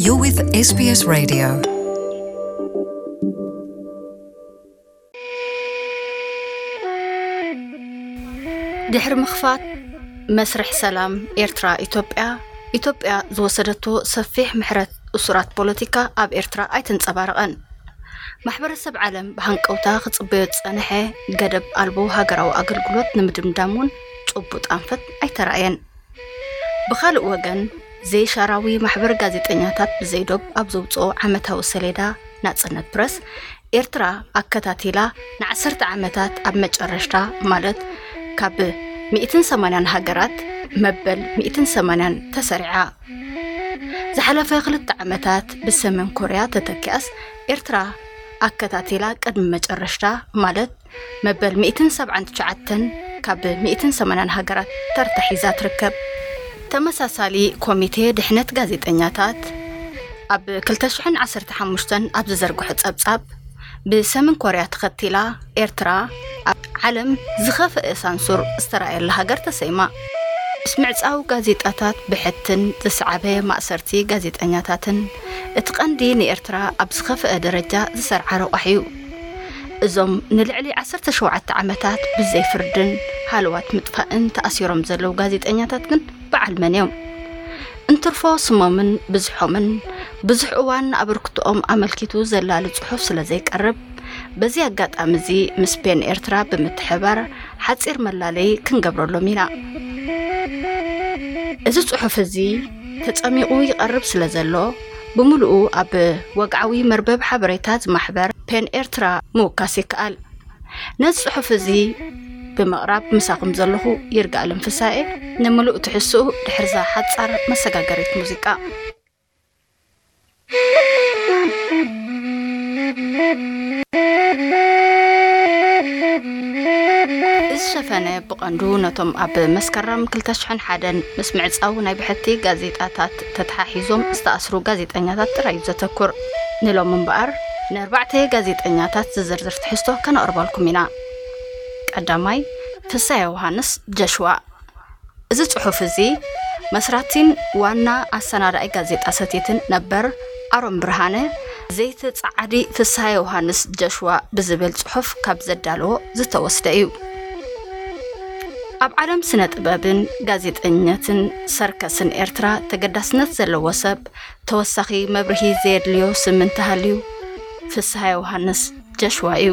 You're with S B S Radio. ድሕሪ ምኽፋት መስርሕ ሰላም ኤርትራ ኢትዮጵያ፣ ኢትዮጵያ ዝወሰደቶ ሰፊሕ ምሕረት እሱራት ፖለቲካ ኣብ ኤርትራ ኣይተንጸባረቐን። ማሕበረሰብ ዓለም ብሃንቀውታ ክጽበዮ ዝጸንሐ ገደብ ኣልቦ ሃገራዊ ኣገልግሎት ንምድምዳም እውን ጭቡጥ ኣንፈት ኣይተራእየን። ብኻልእ ወገን፣ ዘይሻራዊ ማሕበር ጋዜጠኛታት ብዘይዶብ ኣብ ዘውጽኦ ዓመታዊ ሰሌዳ ናጽነት ፕረስ፣ ኤርትራ ኣከታቲላ ንዓሰርተ ዓመታት ኣብ መጨረሽታ፣ ማለት ካብ ሚእትን ሰማንያን ሃገራት መበል ሚእትን ሰማንያን ተሰሪዓ። ዝሓለፈ ክልተ ዓመታት ብሰሜን ኮርያ ተተኪኣስ፣ ኤርትራ ኣከታቲላ ቅድሚ መጨረሽታ፣ ማለት መበል ሚእትን ሰብዓን ትሽዓተን ካብ ሚእትን ሰማንያን ሃገራት ተርታ ሒዛ ትርከብ። ተመሳሳሊ ኮሚቴ ድሕነት ጋዜጠኛታት ኣብ ክልተ ሽሕን ዓሰርተ ሓሙሽተን ኣብ ዝዘርግሖ ጸብጻብ፣ ብሰሜን ኮርያ ተኸቲላ ኤርትራ ኣብ ዓለም ዝኸፍአ ሳንሱር ዝተራእየላ ሃገር ተሰይማ። ምስ ምዕጻው ጋዜጣታት ብሕትን ዝሰዓበ ማእሰርቲ ጋዜጠኛታትን እቲ ቀንዲ ንኤርትራ ኣብ ዝኸፍአ ደረጃ ዝሰርዓ ረቋሕ እዩ። እዞም ንልዕሊ ዓሰርተ ሸውዓተ ዓመታት ብዘይ ፍርድን ሃለዋት ምጥፋእን ተኣሲሮም ዘለዉ ጋዜጠኛታት ግን በዓል መን እዮም? እንትርፎ ስሞምን ብዝሖምን ብዙሕ እዋን ኣበርክቶኦም ኣመልኪቱ ዘላሊ ጽሑፍ ስለ ዘይቀርብ፣ በዚ ኣጋጣሚ እዚ ምስ ፔን ኤርትራ ብምትሕባር ሓጺር መላለይ ክንገብረሎም ኢና። እዚ ጽሑፍ እዚ ተጸሚቑ ይቐርብ ስለ ዘሎ፣ ብምሉኡ ኣብ ወግዓዊ መርበብ ሓበሬታ ዝማሕበር ፔን ኤርትራ ምውካስ ይከኣል። ነዚ ጽሑፍ እዚ ብምቕራብ ምሳኹም ዘለኹ ይርጋኣለም ፍሳኤ። ንምሉእ ትሕዝትኡ ድሕርዛ ሓጻር መሰጋገሪት ሙዚቃ። እዚ ሸፈነ ብቐንዱ ነቶም ኣብ መስከረም ክልተ ሽሕን ሓደን ምስ ምዕጻው ናይ ብሕቲ ጋዜጣታት ተተሓሒዞም ዝተኣስሩ ጋዜጠኛታት ጥራይ እዩ ዘተኩር። ንሎሚ እምበኣር፣ ንኣርባዕተ ጋዜጠኛታት ዝዝርዝር ትሕዝቶ ከነቕርበልኩም ኢና። ቀዳማይ፣ ፍሳየ ዮሃንስ ጀሽዋ። እዚ ጽሑፍ እዚ መስራቲን ዋና ኣሰናዳኢ ጋዜጣ ሰቲትን ነበር ኣሮን ብርሃነ፣ ዘይተጻዓዲ ፍስሃ ዮሃንስ ጀሽዋ ብዝብል ጽሑፍ ካብ ዘዳለዎ ዝተወስደ እዩ። ኣብ ዓለም ስነ ጥበብን ጋዜጠኝነትን ሰርከስን ኤርትራ ተገዳስነት ዘለዎ ሰብ፣ ተወሳኺ መብርሂ ዘየድልዮ ስም እንተሃልዩ፣ ፍስሃ ዮሃንስ ጀሽዋ እዩ።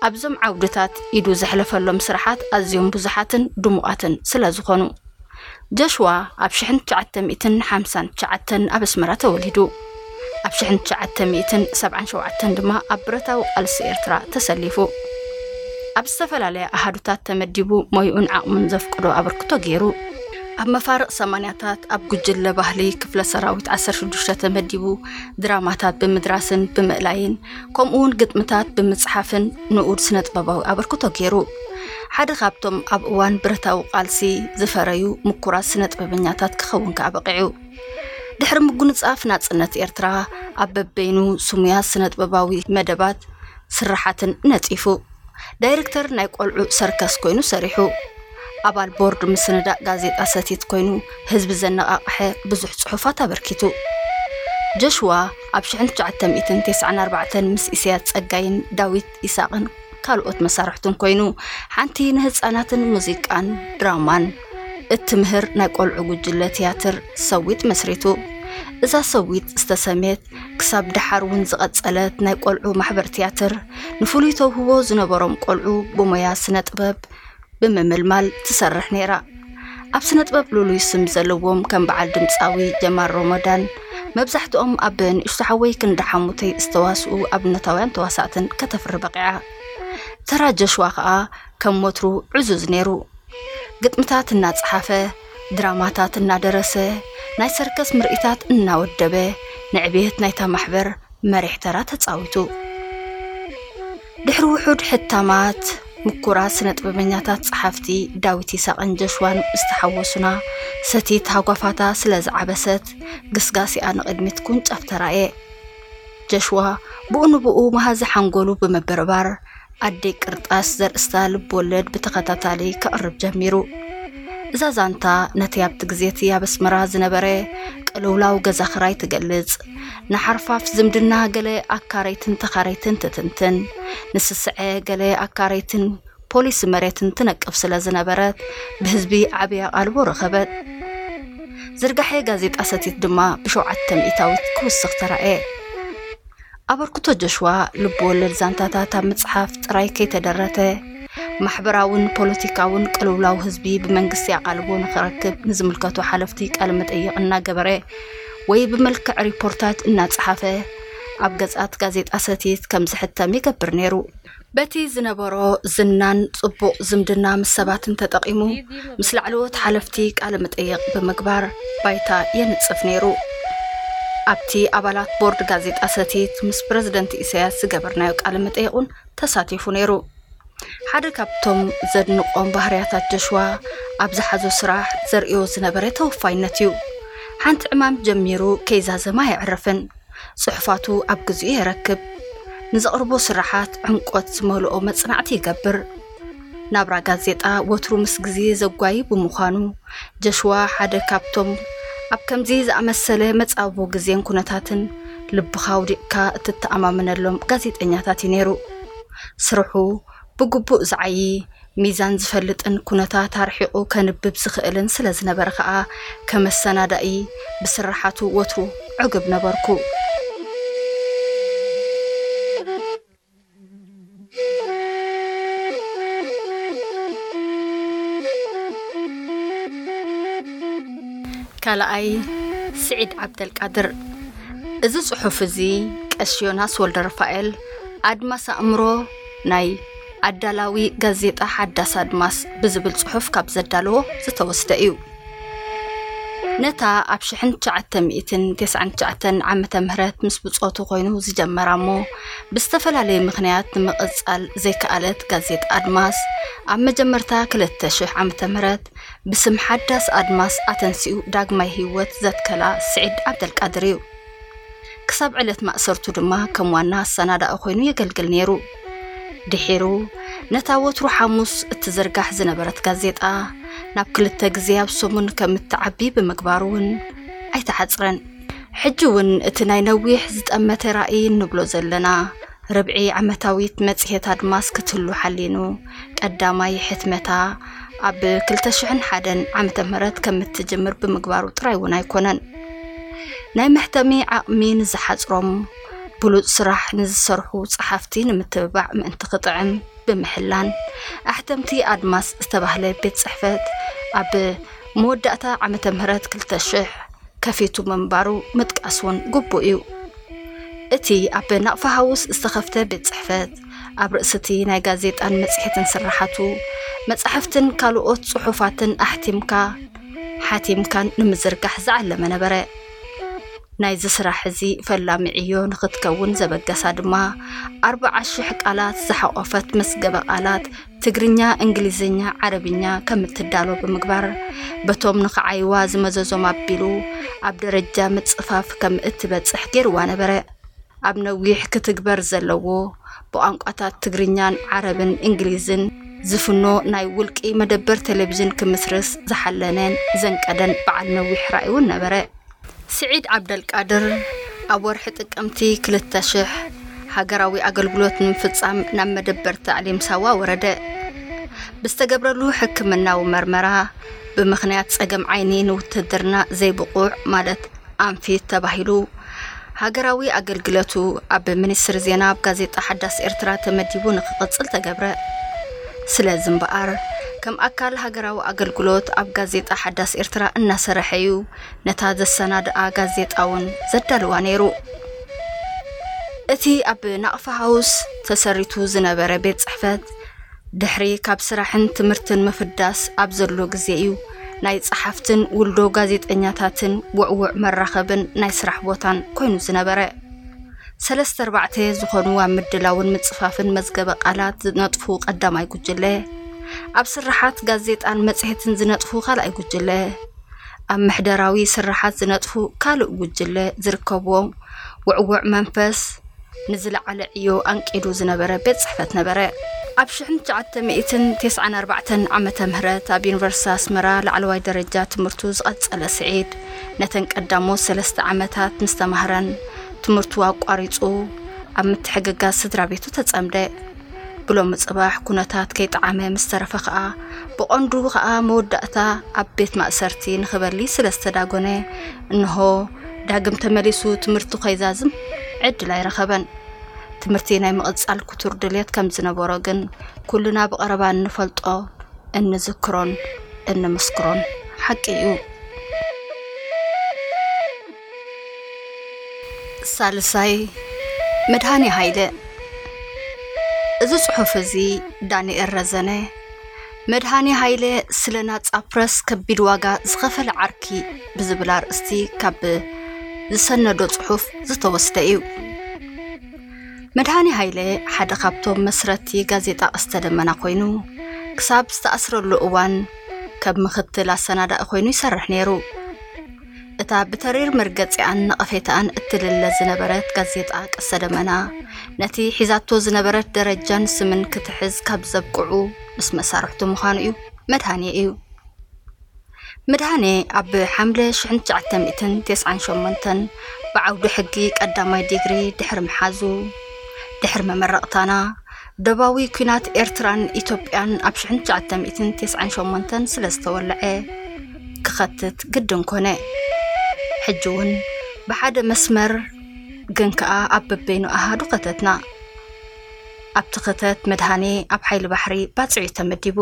ኣብዞም ዓውድታት ኢዱ ዘሕለፈሎም ስራሓት ኣዝዮም ብዙሓትን ድሙቓትን ስለ ዝኾኑ፣ ጀሽዋ ኣብ ሽሕን ትሽዓተ ሚእትን ሓምሳን ትሽዓተን ኣብ ኣስመራ ተወሊዱ። ኣብ ሽሕን ትሽዓተ ሚእትን ሰብዓን ሸውዓተን ድማ ኣብ ብረታዊ ቃልሲ ኤርትራ ተሰሊፉ። ኣብ ዝተፈላለያ ኣሃዱታት ተመዲቡ ሞይኡን ዓቕሙን ዘፍቅዶ ኣበርክቶ ገይሩ። ኣብ መፋርቕ ሰማንያታት ኣብ ጉጅለ ባህሊ ክፍለ ሰራዊት ዓሰርተ ሽዱሽተ ተመዲቡ ድራማታት ብምድራስን ብምእላይን፣ ከምኡውን ግጥምታት ብምጽሓፍን ንኡድ ስነ-ጥበባዊ ኣበርክቶ ገይሩ። ሓደ ካብቶም ኣብ እዋን ብረታዊ ቃልሲ ዝፈረዩ ምኩራት ስነ-ጥበበኛታት ክኸውን ከኣ በቒዑ። ድሕሪ ምጉንጻፍ ናጽነት ኤርትራ፣ ኣብ በበይኑ ስሙያት ስነ-ጥበባዊ መደባት ስርሓትን ነጺፉ። ዳይረክተር ናይ ቆልዑ ሰርከስ ኮይኑ ሰሪሑ። ኣባል ቦርድ ምስንዳእ ጋዜጣ ሰቲት ኮይኑ ህዝቢ ዘነቓቕሐ ብዙሕ ጽሑፋት ኣበርኪቱ። ጆሽዋ ኣብ ሽሕን ትሽዓተ ሚእትን ተስዓን ኣርባዕተን ምስ ኢሳያስ ጸጋይን ዳዊት ይስሃቅን ካልኦት መሳርሕቱን ኮይኑ፣ ሓንቲ ንህጻናትን ሙዚቃን ድራማን እትምህር ናይ ቆልዑ ጉጅለ ትያትር ሰዊት መስሪቱ። እዛ ሰዊት ዝተሰምየት ክሳብ ደሓር እውን ዝቐጸለት ናይ ቆልዑ ማሕበር ትያትር፣ ንፍሉይ ተውህቦ ዝነበሮም ቆልዑ ብሞያ ስነ ጥበብ ብምምልማል ትሰርሕ ነይራ። ኣብ ስነ ጥበብ ልሉይ ስም ዘለዎም ከም በዓል ድምጻዊ ጀማል ሮሞዳን፣ መብዛሕትኦም ኣብ ንእሽቶ ሓወይ ክንዲ ሓሙተይ ዝተዋስኡ ኣብነታውያን ተዋሳእትን ከተፍሪ በቒዓ። ተራ ጀሽዋ ከኣ ከም ወትሩ ዕዙዝ ነይሩ። ግጥምታት እናጸሓፈ፣ ድራማታት እናደረሰ፣ ናይ ሰርከስ ምርኢታት እናወደበ፣ ንዕብየት ናይታ ማሕበር መሪሕ ተራ ተጻዊቱ። ድሕሪ ውሑድ ሕታማት፣ ምኩራት ስነ ጥበበኛታት ጸሓፍቲ ዳዊት ይስሃቅን ጀሽዋን ዝተሓወሱና፣ ሰቲት ሃጓፋታ ስለ ዝዓበሰት፣ ግስጋሴኣ ንቕድሚት ኩንጫፍ ተራእየ። ጀሽዋ ብኡ ንብኡ መሃዚ ሓንጎሉ ብምብርባር፣ ኣደይ ቅርጣስ ዘርእስታ ልብ ወለድ ብተኸታታሊ ከቕርብ ጀሚሩ። እዛ ዛንታ ነቲ ኣብቲ ግዜ እቲ ኣብ ኣስመራ ዝነበረ ቅልውላው ገዛ ኽራይ ትገልጽ። ንሓርፋፍ ዝምድና ገለ ኣካረይትን ተኻረይትን ትትንትን፣ ንስስዐ ገለ ኣካረይትን ፖሊሲ መሬትን ትነቅፍ ስለ ዝነበረት፣ ብህዝቢ ዓቢ ኣቓልቦ ረኸበት። ዝርጋሐ ጋዜጣ ሰቲት ድማ ብሸውዓተ ሚእታዊት ክውስኽ ተራእየ። ኣበርክቶ ጆሽዋ ልብ ወለድ ዛንታታት ኣብ ምጽሓፍ ጥራይ ከይተደረተ፣ ማሕበራውን ፖለቲካውን ቅልውላው ህዝቢ ብመንግስቲ ኣቓልቦ ንኽረክብ ንዝምልከቱ ሓለፍቲ ቃለ መጠይቕ እናገበረ ወይ ብመልክዕ ሪፖርታጅ እናጸሓፈ ኣብ ገጻት ጋዜጣ ሰቲት ከም ዝሕተም ይገብር ነይሩ። በቲ ዝነበሮ ዝናን ጽቡቕ ዝምድና ምስ ሰባትን ተጠቒሙ፣ ምስ ላዕለዎት ሓለፍቲ ቃለ መጠይቕ ብምግባር ባይታ የንጽፍ ነይሩ። ኣብቲ ኣባላት ቦርድ ጋዜጣ ሰቲት ምስ ፕረዚደንት ኢሳያስ ዝገበርናዮ ቃለ መጠይቕ እውን ተሳቲፉ ነይሩ። ሓደ ካብቶም ዘድንቖም ባህርያታት ጆሽዋ፣ ኣብ ዝሓዞ ስራሕ ዘርእዮ ዝነበረ ተወፋይነት እዩ። ሓንቲ ዕማም ጀሚሩ ከይዛዘመ ኣየዕርፍን። ጽሑፋቱ ኣብ ግዜኡ የረክብ። ንዘቕርቦ ስራሓት ዕምቆት ዝመልኦ መጽናዕቲ ይገብር። ናብራ ጋዜጣ ወትሩ ምስ ግዜ ዘጓዪ ብምዃኑ፣ ጀሽዋ ሓደ ካብቶም ኣብ ከምዚ ዝኣመሰለ መጻብቦ ግዜን ኩነታትን ልብኻ ኣውዲቕካ እትተኣማመነሎም ጋዜጠኛታት እዩ ነይሩ። ስርሑ ብግቡእ ዝዓዪ፣ ሚዛን ዝፈልጥን ኩነታት ኣርሒቑ ከንብብ ዝኽእልን ስለ ዝነበረ ከኣ፣ ከመሰናዳኢ ብስርሓቱ ወትሩ ዕጉብ ነበርኩ። ካልኣይ፣ ስዒድ ዓብደልቃድር። እዚ ጽሑፍ እዚ ቀሺ ዮናስ ወልደረፋኤል ኣድማስ ኣእምሮ ናይ ኣዳላዊ ጋዜጣ ሓዳስ ኣድማስ ብዝብል ጽሑፍ ካብ ዘዳለዎ ዝተወስደ እዩ። ነታ ኣብ ሽሕን ትሽዓተ ሚእትን ተስዓን ትሽዓተን ዓመተ ምህረት ምስ ብጾቱ ኮይኑ ዝጀመራ እሞ ብዝተፈላለየ ምኽንያት ንምቕጻል ዘይከኣለት ጋዜጣ ኣድማስ፣ ኣብ መጀመርታ ክልተ ሽሕ ዓመተ ምህረት ብስም ሓዳስ ኣድማስ ኣተንሲኡ ዳግማይ ህይወት ዘትከላ ስዒድ ዓብደልቃድር እዩ። ክሳብ ዕለት ማእሰርቱ ድማ ከም ዋና ኣሰናዳኢ ኮይኑ የገልግል ነይሩ። ድሒሩ ነታ ወትሩ ሓሙስ እትዝርጋሕ ዝነበረት ጋዜጣ ናብ ክልተ ግዜ ኣብ ሰሙን ከም እትዓቢ ብምግባሩ እውን ኣይተዓጽረን። ሕጂ እውን እቲ ናይ ነዊሕ ዝጠመተ ራእይ እንብሎ ዘለና ርብዒ ዓመታዊት መጽሔት ኣድማስ ክትህሉ ሓሊኑ፣ ቀዳማይ ሕትመታ ኣብ ክልተ ሽሕን ሓደን ዓመተ ምህረት ከም እትጅምር ብምግባሩ ጥራይ እውን ኣይኮነን። ናይ መሕተሚ ዓቕሚ ንዝሓጽሮም፣ ብሉጽ ስራሕ ንዝሰርሑ ጸሓፍቲ ንምትብባዕ ምእንቲ ክጥዕም ብምሕላን፣ ኣሕተምቲ ኣድማስ ዝተባህለ ቤት ጽሕፈት ኣብ መወዳእታ ዓመተ ምህረት ክልተ ሽሕ ከፊቱ ምንባሩ ምጥቃስ እውን ግቡእ እዩ። እቲ ኣብ ናቕፋ ሃውስ ዝተኸፍተ ቤት ጽሕፈት፣ ኣብ ርእሲ እቲ ናይ ጋዜጣን መጽሔትን ስርሓቱ፣ መጻሕፍትን ካልኦት ጽሑፋትን ኣሕቲምካ፣ ሓቲምካን ንምዝርጋሕ ዝዓለመ ነበረ። ናይዚ ስራሕ እዚ ፈላሚ ዕዮ ንኽትከውን ዘበገሳ ድማ፣ ኣርብዓ ሽሕ ቃላት ዝሓቖፈት መዝገበ ቃላት ትግርኛ፣ እንግሊዝኛ፣ ዓረብኛ ከም እትዳሎ ብምግባር፣ በቶም ንኽዓይዋ ዝመዘዞም ኣቢሉ ኣብ ደረጃ ምጽፋፍ ከም እትበጽሕ ገይርዋ ነበረ። ኣብ ነዊሕ ክትግበር ዘለዎ፣ ብቋንቋታት ትግርኛን ዓረብን እንግሊዝን ዝፍኖ ናይ ውልቂ መደበር ቴሌቪዥን ክምስርት ዝሓለነን ዘንቀደን በዓል ነዊሕ ራእይ እውን ነበረ። ስዒድ ዓብደልቃድር ኣብ ወርሒ ጥቅምቲ ክልተ ሽሕ ሃገራዊ ኣገልግሎት ንምፍጻም ናብ መደበር ታዕሊም ሳዋ ወረደ። ብዝተገብረሉ ሕክምናዊ መርመራ፣ ብምኽንያት ጸገም ዓይኒ ንውትድርና ዘይብቑዕ፣ ማለት ኣንፊት ተባሂሉ፣ ሃገራዊ ኣገልግለቱ ኣብ ሚኒስትሪ ዜና ኣብ ጋዜጣ ሓዳስ ኤርትራ ተመዲቡ ንክቕጽል ተገብረ። ስለዚ እምበኣር፣ ከም ኣካል ሃገራዊ ኣገልግሎት ኣብ ጋዜጣ ሓዳስ ኤርትራ እናሰርሐ እዩ ነታ ዘሰናድኣ ጋዜጣ እውን ዘዳልዋ ነይሩ። እቲ ኣብ ናቕፋ ሃውስ ተሰሪቱ ዝነበረ ቤት ጽሕፈት፣ ድሕሪ ካብ ስራሕን ትምህርትን ምፍዳስ ኣብ ዘሎ ግዜ እዩ ናይ ጸሓፍትን ውልዶ ጋዜጠኛታትን ውዕዉዕ መራኸብን ናይ ስራሕ ቦታን ኮይኑ ዝነበረ። ሰለስተ ኣርባዕተ ዝኾኑ ኣብ ምድላውን ምጽፋፍን መዝገበ ቃላት ዝነጥፉ ቀዳማይ ጉጅለ፣ ኣብ ስርሓት ጋዜጣን መጽሔትን ዝነጥፉ ካልኣይ ጉጅለ፣ ኣብ ምሕደራዊ ስርሓት ዝነጥፉ ካልእ ጉጅለ ዝርከብዎም ውዕዉዕ መንፈስ፣ ንዝለዓለ ዕዮ ኣንቂዱ ዝነበረ ቤት ጽሕፈት ነበረ። ኣብ ሽሕን ትሽዓተ ሚእትን ተስዓን ኣርባዕተን ዓመተ ምህረት ኣብ ዩኒቨርሲቲ ኣስመራ ላዕለዋይ ደረጃ ትምህርቱ ዝቐጸለ ስዒድ፣ ነተን ቀዳሞት ሰለስተ ዓመታት ምስ ተማህረን ትምህርቱ ኣቋሪጹ ኣብ ምትሕግጋዝ ስድራ ቤቱ ተጸምደ። ብሎሚ ጽባሕ ኩነታት ከይጠዓመ ምስ ተረፈ ከኣ፣ ብቐንዱ ከኣ መወዳእታ ኣብ ቤት ማእሰርቲ ንኽበሊ ስለ ዝተዳጎነ፣ እንሆ ዳግም ተመሊሱ ትምህርቱ ከይዛዝም ዕድል ኣይረኸበን። ትምህርቲ ናይ ምቕጻል ክቱር ድልየት ከም ዝነበሮ ግን ኩልና ብቐረባ እንፈልጦ፣ እንዝክሮን እንምስክሮን ሓቂ እዩ። ሳልሳይ፣ መድሃኔ ሃይለ። እዚ ጽሑፍ እዚ ዳንኤል ረዘነ፣ መድሃኔ ሃይለ ስለ ናጻ ፕረስ ከቢድ ዋጋ ዝኸፈለ ዓርኪ ብዝብል ኣርእስቲ ካብ ዝሰነዶ ጽሑፍ ዝተወስደ እዩ። መድሃኔ ሃይለ ሓደ ካብቶም መስረቲ ጋዜጣ ቀስተ ደመና ኮይኑ፣ ክሳብ ዝተኣስረሉ እዋን ከም ምኽትል ኣሰናዳኢ ኮይኑ ይሰርሕ ነይሩ። እታ ብተሪር መርገጺኣን ነቐፌታኣን እትልለ ዝነበረት ጋዜጣ ቀስተ ደመና፣ ነቲ ሒዛቶ ዝነበረት ደረጃን ስምን ክትሕዝ ካብ ዘብቅዑ ምስ መሳርሕቱ ምዃኑ እዩ፣ መድሃኔ እዩ። መድሃኔ ኣብ ሓምለ ሽሕን ትሽዓተ ሚእትን ተስዓን ሸሞንተን ብዓውዲ ሕጊ ቀዳማይ ዲግሪ ድሕሪ ምሓዙ፣ ድሕሪ መመረቕታና፣ ደባዊ ኲናት ኤርትራን ኢትዮጵያን ኣብ ሽሕን ትሽዓተ ሚእትን ተስዓን ሸሞንተን ስለ ዝተወልዐ፣ ክኸትት ግድን ኮነ። ሕጂ እውን ብሓደ መስመር ግን ከኣ ኣብ በበይኑ ኣሃዱ ከተትና። ኣብቲ ክተት መድሃኔ ኣብ ሓይሊ ባሕሪ ባጽዕ እዩ ተመዲቡ።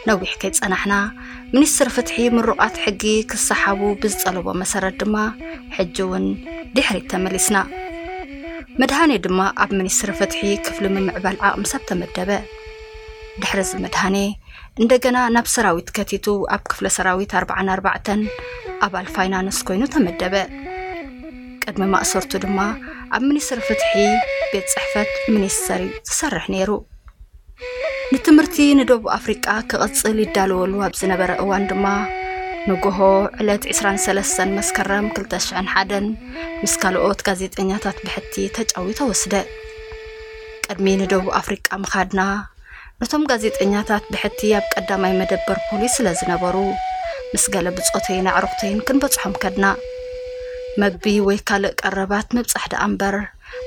ነዊሕ ከይጸናሕና፣ ሚኒስትር ፍትሒ ምሩቓት ሕጊ ክሰሓቡ ብዝጠለቦ መሰረት ድማ፣ ሕጂ እውን ድሕሪት ተመሊስና። መድሃኔ ድማ ኣብ ሚኒስትሪ ፍትሒ ክፍሊ ምምዕባል ዓቕሚ ሰብ ተመደበ። ድሕሪ እዚ መድሃኔ እንደገና ናብ ሰራዊት ከቲቱ ኣብ ክፍለ ሰራዊት ኣርባዓን ኣርባዕተን ኣባል ፋይናንስ ኮይኑ ተመደበ። ቅድሚ ማእሰርቱ ድማ ኣብ ሚኒስትሪ ፍትሒ ቤት ጽሕፈት ሚኒስተር እዩ ዝሰርሕ ነይሩ። ንትምህርቲ ንደቡብ ኣፍሪቃ ክቕጽል ይዳለወሉ ኣብ ዝነበረ እዋን ድማ፣ ንጎሆ ዕለት ዕስራን ሰለስተን መስከረም ክልተ ሽሕን ሓደን ምስ ካልኦት ጋዜጠኛታት ብሕቲ ተጫዊተ ወስደ። ቅድሚ ንደቡብ ኣፍሪቃ ምኻድና፣ ነቶም ጋዜጠኛታት ብሕቲ ኣብ ቀዳማይ መደበር ፖሊስ ስለ ዝነበሩ፣ ምስ ገለ ብጾተይን ኣዕሩኽተይን ክንበጽሖም ከድና። መግቢ ወይ ካልእ ቀረባት ምብጻሕ ደኣ እምበር፣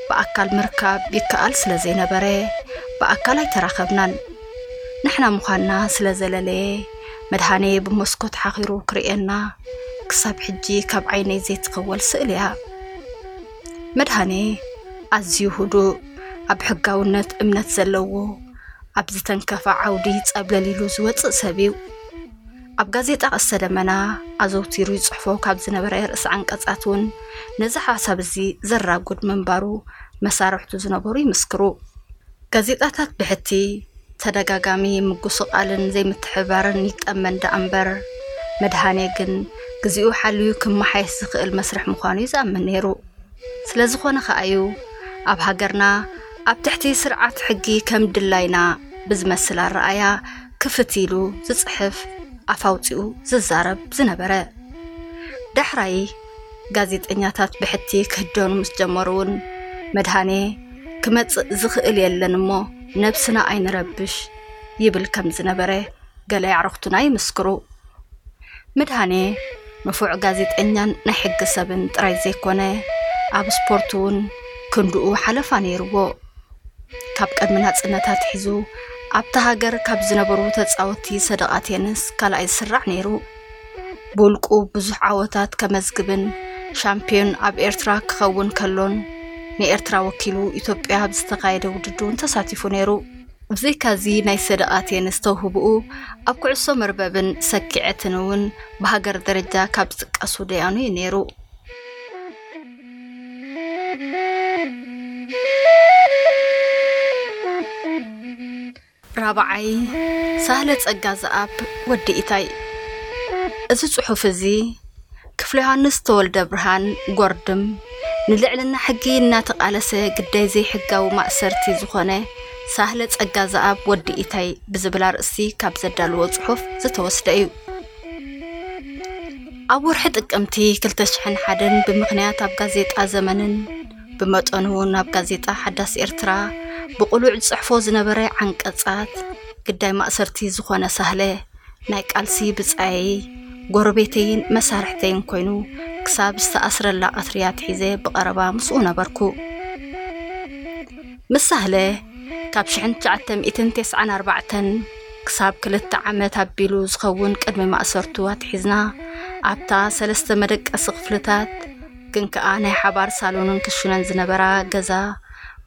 ብኣካል ምርካብ ይከኣል ስለ ዘይነበረ፣ ብኣካል ኣይተራኸብናን። ንሕና ምዃንና ስለ ዘለለየ፣ መድሃኔ ብመስኮት ሓኺሩ ክርእየና፣ ክሳብ ሕጂ ካብ ዓይነይ ዘይትኽወል ስእሊ እያ። መድሃኔ ኣዝዩ ህዱእ፣ ኣብ ሕጋውነት እምነት ዘለዎ፣ ኣብ ዝተንከፈ ዓውዲ ጸብለል ኢሉ ዝወጽእ ሰብ እዩ። ኣብ ጋዜጣ ቀስተ ደመና ኣዘውቲሩ ይጽሕፎ ካብ ዝነበረ ርእሰ ዓንቀጻት እውን ነዚ ሓሳብ እዚ ዘራጉድ ምንባሩ መሳርሕቱ ዝነበሩ ይምስክሩ። ጋዜጣታት ብሕቲ ተደጋጋሚ ምጉስቓልን ዘይምትሕብባርን ይጠመን ደኣ እምበር፣ መድሃኔ ግን ግዜኡ ሓልዩ ክመሓየሽ ዝኽእል መስርሕ ምዃኑ እዩ ዝኣምን ነይሩ። ስለ ዝኾነ ከኣ እዩ ኣብ ሃገርና ኣብ ትሕቲ ስርዓት ሕጊ ከም ድላይና ብዝመስል ኣረኣያ ክፍት ኢሉ ዝጽሕፍ፣ ኣፍ ኣውጺኡ ዝዛረብ ዝነበረ። ዳሕራይ ጋዜጠኛታት ብሕቲ ክህደኑ ምስ ጀመሩ እውን መድሃኔ ክመጽእ ዝኽእል የለን እሞ ነብስና ኣይንረብሽ ይብል ከም ዝነበረ ገለ ኣዕሩኽቱና ይምስክሩ። መድሃኔ ንፉዕ ጋዜጠኛን ናይ ሕጊ ሰብን ጥራይ ዘይኮነ፣ ኣብ ስፖርት እውን ክንድኡ ሓለፋ ነይርዎ። ካብ ቅድሚ ናጽነት ኣትሒዙ ኣብታ ሃገር ካብ ዝነበሩ ተጻወትቲ ሰደቓ ቴንስ ካልኣይ ዝስራዕ ነይሩ። ብውልቁ ብዙሕ ዓወታት ከመዝግብን ሻምፒዮን ኣብ ኤርትራ ክኸውን ከሎን፣ ንኤርትራ ወኪሉ ኢትዮጵያ ኣብ ዝተኻየደ ውድድር እውን ተሳቲፉ ነይሩ። ብዘይካዚ ናይ ሰደቓ ቴንስ ተውህብኡ ኣብ ኩዕሶ መርበብን ሰኪዐትን እውን ብሃገር ደረጃ ካብ ዝጥቀሱ ደያኑ እዩ ነይሩ። ራብዓይ፣ ሳህለ ጸጋ ዘኣብ ወዲ ኢታይ። እዚ ጽሑፍ እዚ ክፍለ ዮሃንስ ተወልደ ብርሃን ጎርድም ንልዕልና ሕጊ እናተቓለሰ ግዳይ ዘይሕጋዊ ማእሰርቲ ዝኾነ ሳህለ ጸጋ ዘኣብ ወዲ ኢታይ ብዝብል ኣርእስቲ ካብ ዘዳልዎ ጽሑፍ ዝተወስደ እዩ። ኣብ ወርሒ ጥቅምቲ ክልተ ሽሕን ሓደን ብምኽንያት ኣብ ጋዜጣ ዘመንን ብመጠኑ ናብ ጋዜጣ ሓዳስ ኤርትራ ብቕሉዕ ዝጽሕፎ ዝነበረ ዓንቀጻት፣ ግዳይ ማእሰርቲ ዝኾነ ሳህለ፣ ናይ ቃልሲ ብጻየይ፣ ጎረቤተይን መሳርሕተይን ኮይኑ፣ ክሳብ ዝተኣስረላ ቀትሪ ኣትሒዘ ብቐረባ ምስኡ ነበርኩ። ምስ ሳህለ ካብ ሽሕን ትሽዓተ ሚእትን ተስዓን ኣርባዕተን ክሳብ ክልተ ዓመት ኣቢሉ ዝኸውን ቅድሚ ማእሰርቱ ኣትሒዝና፣ ኣብታ ሰለስተ መደቀሲ ክፍልታት ግን ከኣ ናይ ሓባር ሳሎንን ክሽነን ዝነበራ ገዛ፣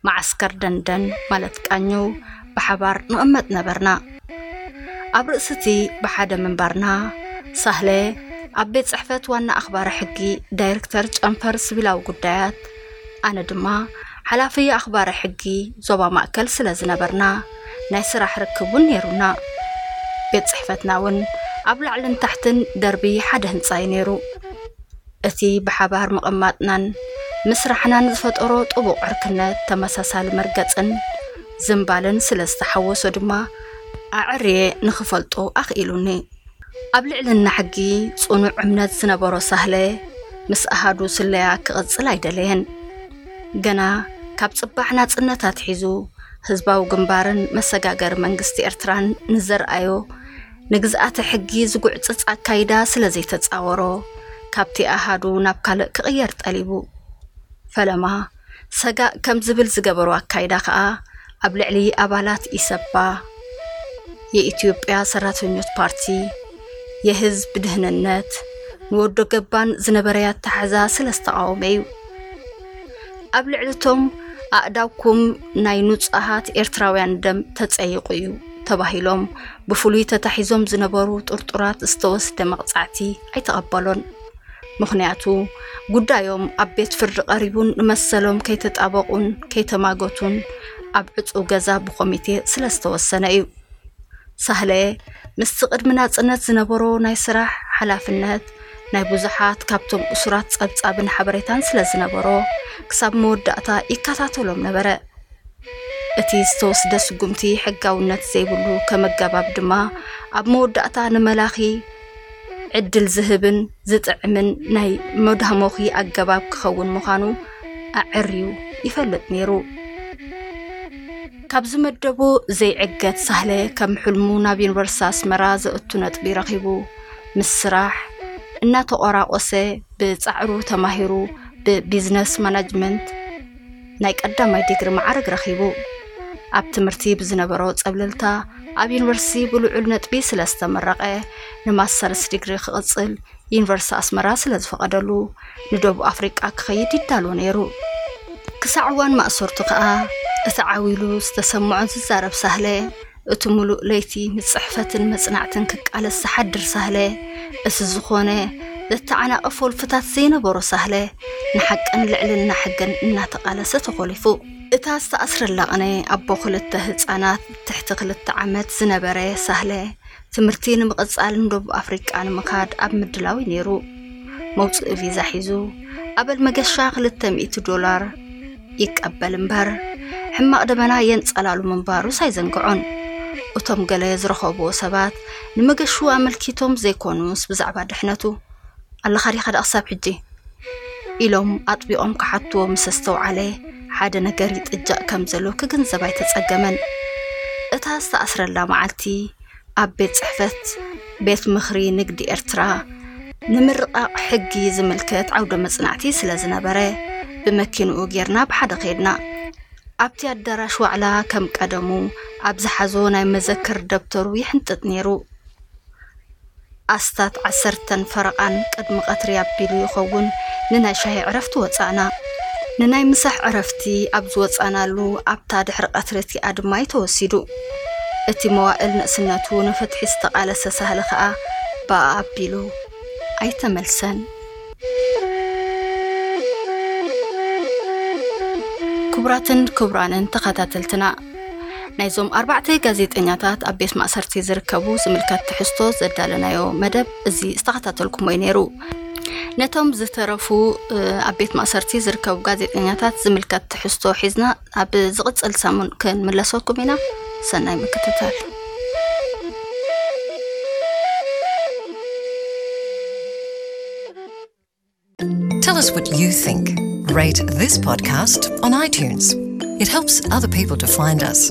መዓስከር ደንደን ማለት ቃኘው፣ ብሓባር ንቕመጥ ነበርና። ኣብ ርእሲ እቲ ብሓደ ምንባርና፣ ሳህለ ኣብ ቤት ጽሕፈት ዋና ኣኽባሪ ሕጊ ዳይሬክተር ጨንፈር ስቪላዊ ጉዳያት፣ ኣነ ድማ ሓላፊ ኣኽባሪ ሕጊ ዞባ ማእከል ስለ ዝነበርና፣ ናይ ስራሕ ርክብ እውን ነይሩና። ቤት ጽሕፈትና እውን ኣብ ላዕልን ታሕትን ደርቢ ሓደ ህንጻ እዩ ነይሩ። እቲ ብሓባር ምቕማጥናን ምስራሕናን ዝፈጠሮ ጥቡቕ ዕርክነት፣ ተመሳሳሊ መርገጽን ዝምባልን ስለ ዝተሓወሶ ድማ፣ ኣዐርየ ንኽፈልጦ ኣኽኢሉኒ። ኣብ ልዕልና ሕጊ ጽኑዕ እምነት ዝነበሮ ሳህለ፣ ምስ ኣሃዱ ስለያ ክቕጽል ኣይደለየን። ገና ካብ ጽባሕ ናጽነት ኣትሒዙ፣ ህዝባዊ ግንባርን መሰጋገሪ መንግስቲ ኤርትራን ንዘርኣዮ ንግዝኣተ ሕጊ ዝጉዕጽጽ ኣካይዳ ስለ ዘይተጻወሮ፣ ካብቲ ኣሃዱ ናብ ካልእ ክቕየር ጠሊቡ። ፈለማ፣ ሰጋእ ከም ዝብል ዝገበሮ ኣካይዳ ከኣ፣ ኣብ ልዕሊ ኣባላት ኢሰፓ፣ የኢትዮጵያ ሰራተኞች ፓርቲ፣ የህዝብ ድህንነት፣ ንወዶ ገባን ዝነበረ ኣተሓዛ ስለ ዝተቓወመ እዩ። ኣብ ልዕሊ እቶም ኣእዳውኩም ናይ ንጹሃት ኤርትራውያን ደም ተጸይቑ እዩ ተባሂሎም ብፍሉይ ተታሒዞም ዝነበሩ ጥርጡራት ዝተወስደ መቕጻዕቲ ኣይተቐበሎን። ምኽንያቱ፣ ጉዳዮም ኣብ ቤት ፍርዲ ቀሪቡን ንመሰሎም ከይተጣበቑን ከይተማገቱን ኣብ ዕጹው ገዛ ብኮሚቴ ስለ ዝተወሰነ እዩ። ሳህለ ምስቲ ቅድሚ ናጽነት ዝነበሮ ናይ ስራሕ ሓላፍነት፣ ናይ ብዙሓት ካብቶም እሱራት ጸብጻብን ሓበሬታን ስለ ዝነበሮ፣ ክሳብ መወዳእታ ይከታተሎም ነበረ። እቲ ዝተወስደ ስጉምቲ ሕጋውነት ዘይብሉ ከም ኣገባብ ድማ፣ ኣብ መወዳእታ ንመላኺ ዕድል ዝህብን ዝጥዕምን ናይ መዳሞኺ ኣገባብ ክኸውን ምዃኑ ኣዐርዩ ይፈልጥ ነይሩ። ካብ ዝመደቦ ዘይዕገት ሳህለ፣ ከም ሕልሙ ናብ ዩኒቨርሲቲ ኣስመራ ዘእቱ ነጥቢ ረኺቡ፣ ምስ ስራሕ እናተቆራቆሰ፣ ብጻዕሩ ተማሂሩ ብቢዝነስ ማናጅመንት ናይ ቀዳማይ ዲግሪ መዓርግ ረኺቡ። ኣብ ትምህርቲ ብዝነበሮ ጸብለልታ፣ ኣብ ዩኒቨርሲቲ ብልዑል ነጥቢ ስለ ዝተመረቐ፣ ንማስተርስ ዲግሪ ክቕጽል ዩኒቨርሲቲ ኣስመራ ስለ ዝፈቐደሉ፣ ንደቡብ ኣፍሪቃ ክኸይድ ይዳሎ ነይሩ። ክሳዕ እዋን ማእሰርቱ ከኣ፣ እቲ ዓው ኢሉ ዝተሰምዖ ዝዛረብ ሳህለ፣ እቲ ምሉእ ለይቲ ንጽሕፈትን መጽናዕትን ክቃለስ ዝሓድር ሳህለ፣ እቲ ዝኾነ ዘተዓናቕፍ ወልፍታት ዘይነበሮ ሳህለ፣ ንሓቅን ልዕልና ሕግን እናተቓለሰ ተኾሊፉ። እታ ዝተኣስረላ ቅነ ኣቦ ክልተ ህጻናት ትሕቲ ክልተ ዓመት ዝነበረ ሳህለ፣ ትምህርቲ ንምቕጻል ንደቡብ ኣፍሪቃ ንምኻድ ኣብ ምድላው እዩ ነይሩ። መውጽኢ ቪዛ ሒዙ፣ ኣበል መገሻ ክልተ ሚእቲ ዶላር ይቀበል እምበር፣ ሕማቕ ደበና የንጸላሉ ምንባሩስ ኣይዘንግዖን። እቶም ገለ ዝረኸብዎ ሰባት፣ ንመገሹ ኣመልኪቶም ዘይኮኑስ ብዛዕባ ድሕነቱ፣ "ኣለኻ ዲኻ ደኣ ክሳብ ሕጂ?" ኢሎም ኣጥቢቖም ክሓትዎ ምስ ኣስተውዓለ፣ ሓደ ነገር ይጥጃእ ከም ዘሎ ክግንዘብ ኣይተጸገመን። እታ ዝተኣስረላ መዓልቲ፣ ኣብ ቤት ጽሕፈት ቤት ምኽሪ ንግዲ ኤርትራ፣ ንምርቓቕ ሕጊ ዝምልከት ዓውደ መጽናዕቲ ስለ ዝነበረ፣ ብመኪንኡ ጌርና ብሓደ ኸድና። ኣብቲ ኣዳራሽ ዋዕላ ከም ቀደሙ ኣብ ዝሓዞ ናይ መዘክር ደብተሩ ይሕንጥጥ ነይሩ። ኣስታት ዓሰርተን ፈረቓን ቅድሚ ቀትሪ ኣቢሉ ይኸውን ንናይ ሻሂ ዕረፍቲ ወጻእና። ንናይ ምሳሕ ዕረፍቲ ኣብ ዝወጻእናሉ ኣብታ ድሕሪ ቀትሪ እቲኣ ድማ እዩ ተወሲዱ። እቲ መዋእል ንእስነቱ ንፍትሒ ዝተቓለሰ ሳህለ ኸኣ ብኣ ኣቢሉ ኣይተመልሰን። ክቡራትን ክቡራንን ተኸታተልትና፣ ናይዞም ኣርባዕተ ጋዜጠኛታት ኣብ ቤት ማእሰርቲ ዝርከቡ ዝምልከት ትሕዝቶ ዘዳለናዮ መደብ እዚ ዝተኸታተልኩሞ እዩ ነይሩ። ነቶም ዝተረፉ፣ እ፣ ኣብ ቤት ማእሰርቲ ዝርከቡ ጋዜጠኛታት ዝምልከት ትሕዝቶ ሒዝና ኣብ ዝቕጽል ሰሙን ክንምለሰኩም ኢና። ሰናይ ምክትታል። Tell us what you think. Rate this podcast on iTunes. It helps other people to find us.